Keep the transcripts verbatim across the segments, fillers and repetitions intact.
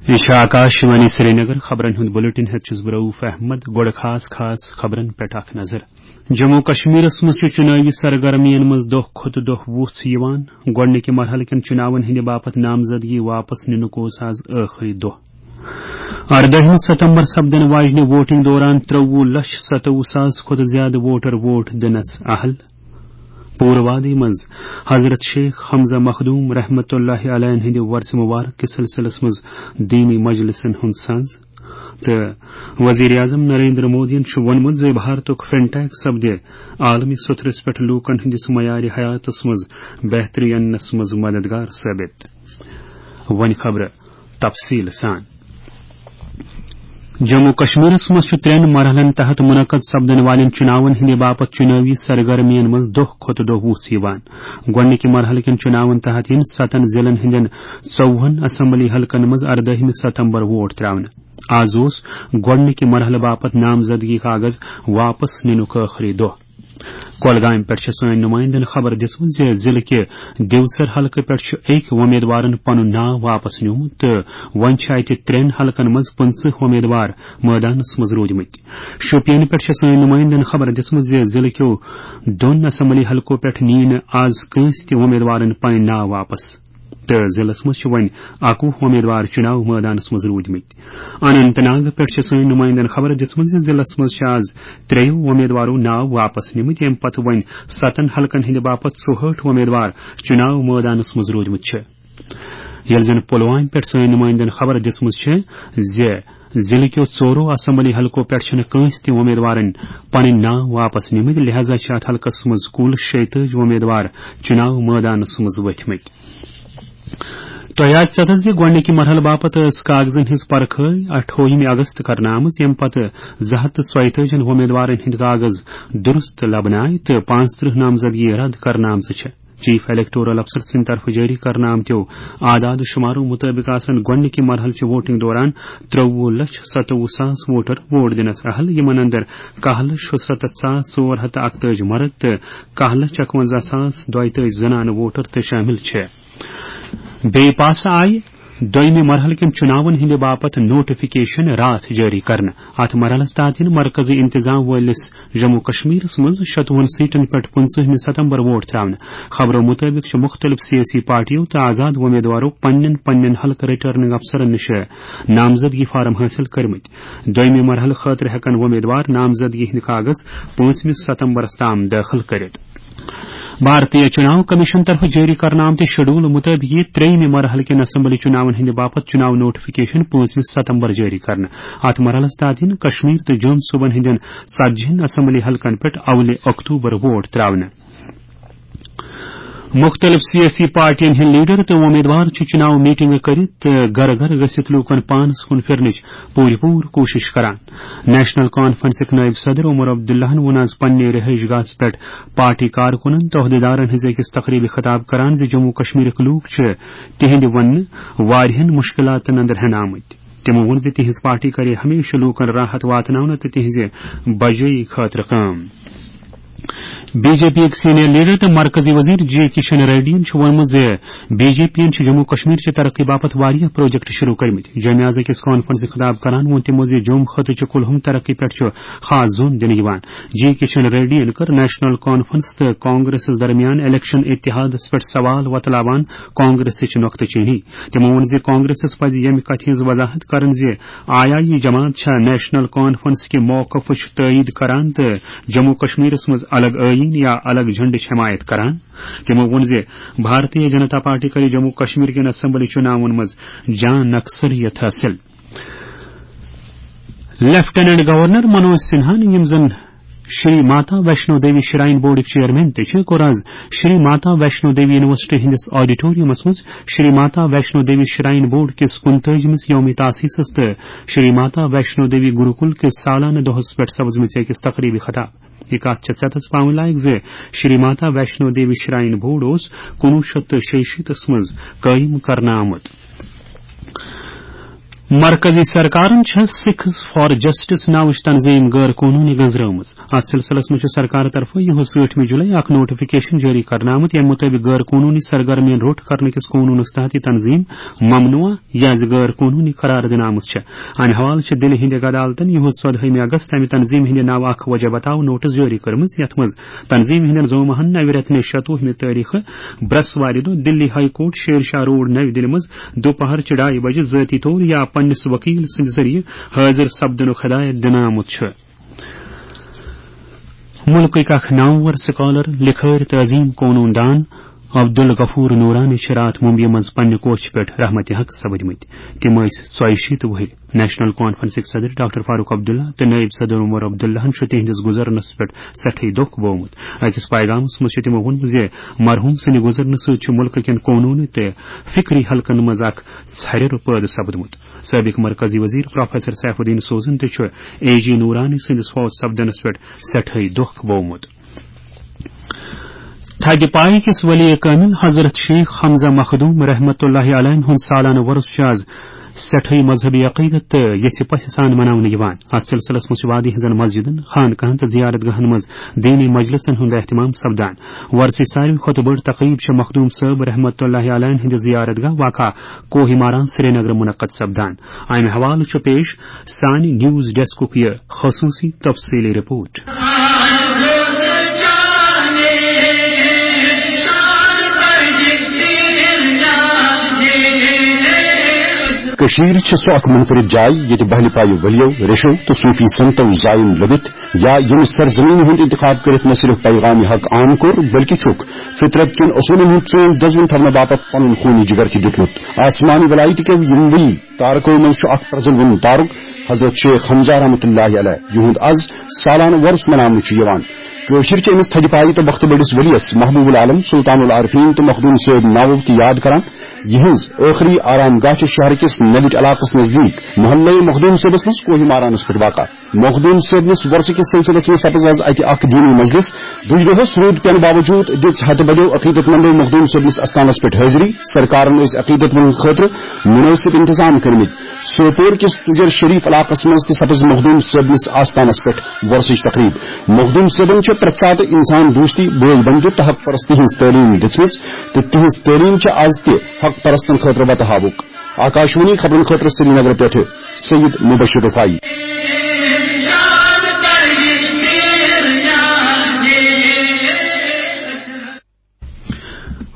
یہِ چھِ آکاشوانی سرینگر۔ خبرن ہُنٛد بلیٹن ہٮ۪تھ چھُس بہٕ رؤف احمد۔ گۄڈٕ خاص خاص خبرن پٮ۪ٹھ اکھ نظر۔ جموں کشمیرس منٛز چھُ چُنٲوی سرگرمیَن منٛز دۄہ کھۄتہٕ دۄہ وُژھ یِوان۔ گۄڈٕنِکہِ مرحلہٕ کٮ۪ن چُناون ہٕنٛدِ باپتھ نامزدگی واپس نِنُک اوس آز ٲخری دۄہ۔ اردٲہمہِ ستمبر سپدن واجنہِ ووٹنگ دوران ترٛوُہ لچھ ستوُہ ساس کھۄتہٕ زیادٕ ووٹر ووٹ دِنس اہل۔ پوٗرٕ وادی منٛز حضرت شیخ حمزہ مخدوم رحمت اللہ علیہ ہٕنٛدِ ورثہ مبارک کِس سلسلس منٛز دینی مجلسن ہُنٛد سنز۔ تہٕ وزیر اعظم نریندر مودیَن چھُ ووٚنمُت زِ بھارتُک فنٹیک سپدِ عالمی سترس پٮ۪ٹھ لوٗکن ہٕنٛدِس معیارِ حیاتس منٛز بہتری اننس منٛز مددگار ثٲبت۔ وۄنۍ خبرٕ تفصیل سان۔ جموں کشمیرس منٛز چھُ ترٛٮ۪ن مرحلن تحت منعقد سپدن والٮ۪ن چُناون ہٕنٛدِ باپتھ چُنٲوی سرگرمیَن منٛز دۄہ کھۄتہٕ دۄہ وُژھ یِوان۔ گۄڈٕنِکہِ مرحلہٕ کٮ۪ن چُناون تحت یِن ستن ضلعن ہٕنٛدٮ۪ن ژوٚوُہن اسمبلی حلقن منٛز اردٲہمہِ ستمبر ووٹ ترٛاونہٕ۔ آز اوس گۄڈٕنِکہِ مرحلہٕ باپتھ نامزدگی کاغذ واپس نِنُک ٲخری دۄہ۔ کۄلگامہِ پٮ۪ٹھ چھِ سٲنۍ نُمٲیندَن خبر دِژمٕژ زِ ضلعہٕ کہِ دیوسر حلقہٕ پٮ۪ٹھ چھُ أکۍ وۄمیدوارَن پنُن ناو واپس نیومُت تہٕ وۄنۍ چھِ اَتہِ ترٛٮ۪ن حلقن منٛز پٕنٛژٕہ وۄمیدوار مٲدانَس منٛز روٗدمٕتۍ۔ شوپین پٮ۪ٹھ چھِ سٲنۍ نُمٲیندَن خبر دِژمٕژ زِ ضلعہٕ کیو دۄن اسمبلی حلقو پٮ۪ٹھ نِیہِ نہٕ آز کٲنٛسہِ تہِ وۄمیدوارَن پنٕنۍ ناو واپس۔ تہٕ ضلعس منٛز چھِ وۄنۍ اَکوُہ وۄمیدوار چُناو مٲدانَس منٛز روٗدمٕتۍ۔ اننت ناگ پٮ۪ٹھ چھِ سٲنۍ نُمٲیندَن خبر دِژمٕژ زِ ضلعس منٛز چھِ آز ترٛیٚیو وۄمیدوارو ناو واپس نِمٕتۍ، ییٚمہِ پتہٕ وۄنۍ ستن حلقن ہٕنٛدِ باپتھ ژُہٲٹھ وۄمیدوار چُناو مٲدانَس منٛز روٗدمٕتۍ چھِ۔ ییٚلہِ زن پُلوامہِ پٮ۪ٹھ سٲنۍ نُمٲیندَن خبر دِژمٕژ چھِ زِ ضلعہٕ کیو ژورو اسمبلی حلقو پٮ۪ٹھ چھِنہٕ کٲنٛسہِ تہِ وۄمیدوارن پنٕنۍ ناو واپس نِمٕتۍ، لہذا چھِ اتھ حلقس منٛز کُل شیٚیہِ تٲجی وۄمیدوار چُناو مٲدانَس منٛز ؤتھمٕتۍ۔ تۄہہِ آسہِ ژےٚ زِ گۄڈٕنِکہِ مرحلہٕ باپتھ ٲس کاغذن ہٕنٛز پرکھٲے اَٹھووُہمہِ اگست کرنہٕ آمٕژ، ییٚمہِ پتہٕ زٕ ہَتھ تہٕ ژۄیہِ تٲجی وۄمیدوارن ہٕنٛدۍ کاغذ درست لبنہٕ آیہِ تہٕ پانٛژترٕہ نامزدگی رد کرنہٕ آمژٕ چھِ۔ چیف الیکٹورل افسر سٕنٛدِ طرفہٕ جٲری کرنہٕ آمتیو اعداد و شمارو مُطٲبِق آسن گۄڈٕنِکہِ مرحلہٕ چہِ ووٹنگ دوران ترٛوُہ لچھ ستوُہ ساس ووٹر ووٹ دِنس اہل، یِمن اندر کاہ لچھ شُستتھ ساس ژور ہتھ تہٕ اکتٲجی مرد تہٕ کاہ لچھ اکونزہ ساس دۄیہِ تٲجی زنانہٕ ووٹر تہِ شٲمِل چھِ۔ بیٚیہِ پاسہٕ آیہِ دوٚیمہِ مرحلہٕ کٮ۪ن چُناون ہٕنٛدِ باپتھ نوٹیفکیشن راتھ جٲری کرنہٕ۔ اتھ مرحلس تحت یِن مرکزی انتظام وٲلِس جموں کشمیرس منٛز شتوُہن سیٹن پٮ۪ٹھ پٕنٛژٕہمہِ ستمبر ووٹ ترٛاونہٕ۔ خبرو مُطٲبِق چھِ مُختٔلِف سیٲسی پارٹیو تہٕ آزاد وۄمیدوارو پننٮ۪ن پننٮ۪ن حلقہٕ رٹرننگ افسرن نِش نامزدگی فارم حٲصِل کٔرمٕتۍ۔ دوٚیمہِ مرحلہٕ خٲطرٕ ہٮ۪کن وۄمیدوار نامزدگی ہٕنٛدۍ کاغذ پانٛژمہِ ستمبرس تام دٲخل کٔرِتھ۔ بھارتیہ چُناو کمیشن طرفہٕ جٲری کرنہٕ آمتہِ شیڈول مُطٲبِق یِیہِ ترٛیٚیمہِ مرحلہٕ کٮ۪ن اسمبلی چُناون ہٕنٛدِ باپتھ چُناو نوٹیفکیشن پانٛژمہِ ستمبر جٲری کرنہٕ۔ اتھ مرحلس تحت یِن کشمیر تہٕ جوٚم صوبن ہٕنٛدٮ۪ن ژتجی ہن اسمبلی حلقن پٮ۪ٹھ اولہِ اکتوبر ووٹ ترٛاونہٕ۔ مُختٔلِف سیٲسی پارٹین ہٕنٛدۍ لیڈر تہٕ وۄمیدوار چھِ چُناو میٹنگہٕ کٔرِتھ تہٕ گرٕ گرٕ گٔژھِتھ لوٗکن پانس کُن پھِرنٕچ پوٗرٕ پوٗرٕ کوٗشِش کران۔ نیشنل کانفرنسٕکۍ نٲیِب صدر عمر عبداللہن ووٚن آز پننہِ رہٲیِش گاہس پٮ۪ٹھ پارٹی کارکُنن تہٕ عہدیدارن ہٕنٛزِ أکِس تقریبہِ خطاب کران زِ جموں کشمیرٕکۍ لوٗکھ چھِ تِہنٛدِ وننہٕ واریاہن مُشکلاتن اندر ہٮ۪نہٕ آمٕتۍ۔ تِمو ووٚن زِ تِہنٛز پارٹی کرِ ہمیشہٕ لوٗکن راحت واتناونہٕ تہٕ تِہنٛزِ بجٲیی خٲطرٕ کٲم۔ بی جے پی یٕکۍ سینئر لیڈر تہٕ مرکزی وزیر جی کشن ریڈی ین چھُ ووٚنمُت زِ بی جے پی ین چھِ جموں کشمیر چہِ ترقی باپتھ واریاہ پروجیکٹ شروع کٔرمٕتۍ۔ جامعہ ازہر کِس کانفرنسہِ خطاب کران ووٚن تِمو زِ جوٚم خطہٕ چہِ کُلہُم ترقی پٮ۪ٹھ چھُ خاص زوٚن دِنہٕ یِوان۔ جی کشن ریڈی ین کٔر نیشنل کانفرنس تہٕ کانگریسس درمیان الیکشن اتحادس پٮ۪ٹھ سوال وۄتلاوان کانگریسٕچ نۄقطہٕ چینی۔ تِمو ووٚن زِ کانگریسس پزِ ییٚمہِ کتھِ ہٕنٛز وضاحت کرٕنۍ زِ آیی جماعت چھا نیشنل کانفرنس کہِ موقفٕچ تٲیید کران تہٕ جموں کشمیرس منٛز الگ ٲییٖن یا الگ جھنڈٕچ حمایت کران۔ تِمو ووٚن زِ بھارتیہ جنتا پارٹی کرِ جموں کشمیر کٮ۪ن اسمبلی چُناون منٛز جان اکثریت حٲصِل۔ لیفٹیننٹ گورنر منوج سنہا، یِم زن شری ماتا ویشنو دیوی شراین بورڈٕکۍ چیئرمین تہِ چھِ، کوٚر آز شری ماتا ویشنو دیوی یونیورسٹی ہٕنٛدِس آڈیٹوریمس منٛز شری ماتا ویشنو دیوی شراین بورڈ کِس کُنتٲجمِس یوم تاسیسس تہٕ شری ماتا ویشنو دیوی گروکل کِس سالانہٕ دۄہس پٮ۪ٹھ سپزمٕژ أکِس تقریبہِ خطاب۔ یہِ کتھ چھےٚ ژٮ۪تس پاونہٕ لایق زِ شری ماتا ویشنو دیوی شراین بورڈ اوس کُنوُہ شیٚتھ تہٕ شیٚیہِ شیٖتس منٛز قٲیِم کرنہٕ آمُت۔ مرکزی سرکارن چھےٚ سکھز فار جسٹس ناوٕچ تنظیم غٲر قونوٗنی گٔنزرٲومٕژ۔ اتھ سلسلس منٛز چھُ سرکار طرفہٕ یِہُس ٲٹھمہِ جُلے اکھ نوٹیفکیشن جٲری کرنہٕ آمُت، ییٚمہِ مُطٲبِق غٲر قونوٗنی سرگرمین روٚٹ کرنہٕ کِس قونوٗنس تحت یہِ تنظیم ممنوع یا زِ غٲر قونوٗنی قرار دِنہٕ آمٕژ چھےٚ۔ امہِ حوالہٕ چھِ دِلہِ ہٕنٛدِ عدالتن یِہُس ژۄدہٲیمہِ اگست امہِ تنظیمہِ ہٕنٛدِ ناوٕ اکھ وجہ بتاو نوٹس جٲری کٔرمٕژ، یتھ منٛز تنظیمہِ ہٕنٛدٮ۪ن زومہن نوِ رٮ۪تہٕ نِش شتوُہمہِ تٲریخہٕ برٛسوارِ دۄہ دِلی high court Sher Shah road نَوِ دِلہِ منٛز دُپہر چہِ ڈایہِ بجہِ ذٲتی طور یا پننِس وکیل سٕنٛدِ ذٔریعہٕ حٲضِر سپدنُک ہدایت دِنہٕ آمُت چھُ۔ مُلکٕکۍ اکھ نامور سکالر، لکھٲرۍ تہٕ عظیم قونوٗن دان عبدالغفور نورانی چھِ راتھ ممبیہِ منٛز پننہِ کوٹھۍ پٮ۪ٹھ رحمتِ حق سپٕدمٕتۍ۔ تِم ٲسۍ ژۄیہِ شیٖتھ وُہٕرۍ۔ نیشنل کانفرنسٕکۍ صدر ڈاکٹر فاروق عبداللہ تہٕ نٲیِب صدر عمر عبداللہن چھُ تِہنٛدِس گُزرنس پٮ۪ٹھ سٮ۪ٹھٕے دۄکھ بوومُت۔ أکِس پیغامس منٛز چھُ تِمو ووٚنمُت زِ مرحوٗم سٕنٛدِ گُزرنہٕ سۭتۍ چھُ مُلکہٕ کٮ۪ن قونوٗنی تہٕ فکری حلقن منٛز اکھ ژھرِر پٲدٕ سپدمُت۔ سٲبِق مرکزی وزیر پروفیسر سیف الدین سوزن تہِ چھُ اے جی نورانی سٕنٛدِس فوت سپدنس پٮ۪ٹھ سٮ۪ٹھٕے دۄکھ بوومُت۔ تھدِ پایہِ کِس ولی کامل حضرت شیخ حمزہ مخدوم رحمت اللہ علیہ ہُنٛد سالانہٕ وۄرُس چھُ آز سٮ۪ٹھٕے مذہبی عقیدت تہٕ یژھِ پژھِ سان مناونہٕ یِوان۔ اتھ سلسلس منٛز چھِ وادی ہٕنٛزن مسجدن، خانقاہن تہٕ زیارت گاہن منٛز دینی مجلسن ہُنٛد اہتمام سپدان۔ وۄرسٕچ ساروی کھۄتہٕ بٔڑ تقریب چھےٚ مخدوم صٲب رحمت اللہ علیہ ہٕنٛدِ زیارت گاہ واقع کوہ ماران سرینگرٕ منعقد سپدان۔ امہِ حوالہٕ چھُ پیش سانہِ نیوز ڈیسکُک یہِ خصوٗصی تفصیٖلی رپورٹ۔ کٔشیٖر چھِ سۄ اکھ منفرد جاے، ییٚتہِ بہلہِ پایہِ ؤلِیو، ریشو تہٕ صوٗفی سنتو زایَن لٔبِتھ، یا ییٚمہِ سرزمینہِ ہُنٛد انتخاب کٔرِتھ نہ صرف پیغام حق عام کوٚر، بلکہِ چھُکھ فطرت کٮ۪ن اصوٗلن ہُنٛد ژوٗنٛٹھ دزوُن تھاونہٕ باپتھ پنُن خوٗنی جگر تہِ دیُتمُت۔ آسمانی ولایتہِ کٮ۪و یِموٕے تارکو منٛز چھُ اکھ پرزلوُن تارک حضرت شیخ حمزہ رحمتہ اللہ علیہ، یِہُنٛد از سالانہٕ وۄرُس مناونہٕ چھُ یِوان۔ کٲشِر چھِ أمِس تھدِ پایہِ تہٕ بختہٕ بٔڑِس ؤلِیَس محبوب العالم سلطان العارفین تہٕ مخدوم صٲب ناوو تہِ یاد کران۔ یِہٕنٛز ٲخری آرام گاہ چھِ شہر کِس نوِٹ علاقس نزدیٖک محلے مخدوم صٲبس منٛز کوہ مارانس پٮ۪ٹھ واقع۔ مخدوم صٲبنِس وۄرثہٕ کِس سلسلس منٛز سپٕز از اتہِ اکھ دینی مجلس۔ دُج دۄہس روٗد پینہٕ باوجوٗد دِژ ہتہٕ بٔدیو عقیدت مندو مخدوم صٲبنِس استانس پٮ۪ٹھ حٲضری۔ سرکارن ٲسۍ عقیدت مندن خٲطرٕ مُنٲسِب انتظام کٔرمٕتۍ۔ سوپور کِس تُجر شریف علاقس منٛز تہِ سپٕز مخدوم صٲبنِس آستانس پٮ۪ٹھ وۄرثٕچ تقریب۔ مخدوم صٲبن چھےٚ پرٛٮ۪تھ ساتہٕ انسان دوستی، بٲے بندُت تہٕ حق پرستی ہٕنٛز تعلیٖم دِژمٕژ تہٕ تِہنٛز تعلیٖم چھےٚ از تہِ حق پرستن خٲطرٕ وتہٕ ہاوُک۔ آکاشوانی خبرن خٲطرٕ سرینگر پٮ۪ٹھٕ سید مبشر رفاعی۔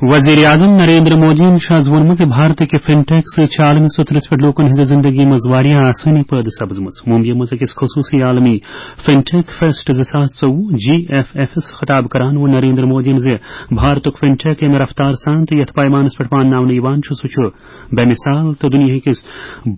وزیر اعظم نریندر مودیَن چھُ آز ووٚنمُت زِ بھارتٕکہِ فِن ٹیک سۭتۍ چھِ عالمی سطحس پٮ۪ٹھ لوٗکَن ہٕنٛزِ زِندگی منٛز واریاہ آسٲنی پٲدٕ سپٕزمٕژ۔ ممبیہِ منٛز أکِس خصوٗصی عالمی فِن ٹیک فیسٹ زٕ ساس ژوٚوُہ، جی ایف ایف ایس، خطاب کران ووٚن نریندر مودیَن زِ بھارتُک فِن ٹیک ییٚمہِ رفتار سان تہٕ یَتھ پیمانَس پٮ۪ٹھ مانناونہٕ یِوان چھُ، سُہ چھُ بے مثال تہٕ دُنیاہکِس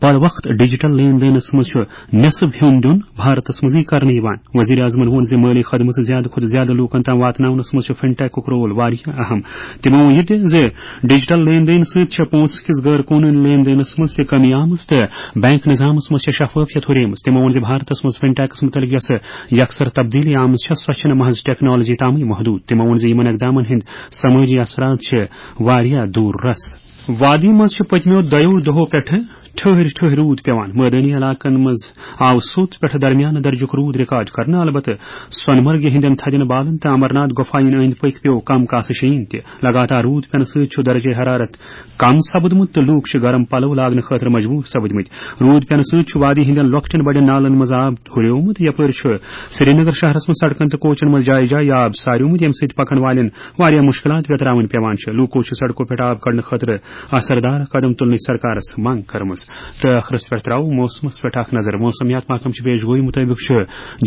بر وقت ڈیجیٹل لین دینَس منٛز چھُ نصف ہیوٚن دیُن بھارتس منٛزٕے کرنہٕ یِوان۔ وزیر اعظمن ووٚن زِ مٲلی خدمژٕ زیادٕ کھۄتہٕ زیادٕ لوٗکن تام واتناونس منٛز چھُ فِن ٹیکُک رول واریاہ اہم۔ تِمو ووٚن یہِ تہِ زِ ڈیجیٹل لین دین سۭتۍ چھےٚ پونٛسہٕ کِس غٲر قونوٗنی لین دینس منٛز تہِ کمی آمٕژ تہٕ بینک نظامس منٛز چھےٚ شفافیت ہُریمٕژ۔ تِمو ووٚن زِ بھارتس منٛز فِن ٹیکس مُتعلق یۄسہٕ یکسر تبدیلی آمٕژ چھےٚ، سۄ چھنہٕ محض ٹیکنالوجی تامٕے محدوٗد۔ تِمو ووٚن زِ یِمن اقدامن ہٕنٛدۍ سمٲجی اثرات چھِ واریاہ دوٗر رس۔ وادی منٛز چھِ پٔتمیو دۄیو دۄہو پٮ۪ٹھٕ ٹھٔہرۍ ٹھٔہرۍ روٗد پٮ۪وان۔ مٲدٲنی علاقن منٛز آو سوٚت پٮ۪ٹھٕ درمیانہٕ درجُک روٗد ریکارڈ کرنہٕ۔ البتہٕ سۄنہٕ مرگہِ ہٕنٛدٮ۪ن تھدٮ۪ن بالن تہٕ امرناتھ گۄپھایَن أنٛدۍ پٔکۍ پیوٚو کم کاسہٕ شیٖن تہِ۔ لگاتار روٗد پٮ۪نہٕ سۭتۍ چھُ درجہ حرارت کم سپدمُت تہٕ لوٗکھ چھِ گرم پلو لاگنہٕ خٲطرٕ مجبوٗر سپدمٕتۍ۔ روٗد پٮ۪نہٕ سۭتۍ چھُ وادی ہٕنٛدٮ۪ن لۄکٹٮ۪ن بڑٮ۪ن نالن منٛز آب ہُریومُت، یپٲرۍ چھُ سرینگر شہرس منٛز سڑکن تہٕ کوچن منٛز جایہِ جایہِ آب ساریومُت، ییٚمہِ سۭتۍ پکن والٮ۪ن واریاہ مُشکِلات ویتراوٕنۍ پٮ۪وان چھِ۔ لوٗکو چھِ سڑکو پٮ۪ٹھ آب کڑنہٕ خٲطرٕ اثردار قدم تُلنٕچ سرکارس منٛگ کٔرمٕژ۔ تہٕ ٲخرس پٮ۪ٹھ ترٛاوو موسمس پٮ۪ٹھ اکھ نظر۔ موسمیات محکمہٕ چہِ پیش گویی مُطٲبِق چھُ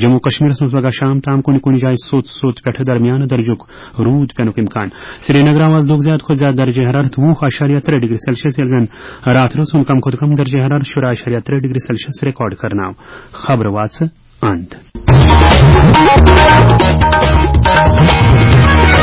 جموں کشمیرس منٛز پگاہ شام تام کُنہِ کُنہِ جایہِ سوٚت سوٚت پٮ۪ٹھٕ درمیانہٕ درجُک روٗد پٮ۪نُک امکان۔ سرینگر آو آز دۄہُک زیادٕ کھۄتہٕ زیادٕ درجہ حرارت وُہ اعشاریہ ترٛےٚ ڈگری سیلسیس، ییٚلہِ زن راتھ رٲژ ہُنٛد کم کھۄتہٕ کم درجہ حرارت شُراہ اعشاریہ ترٛےٚ ڈگری سیلسیس ریکارڈ کرنہٕ آو۔ خبرٕ واژٕ اند۔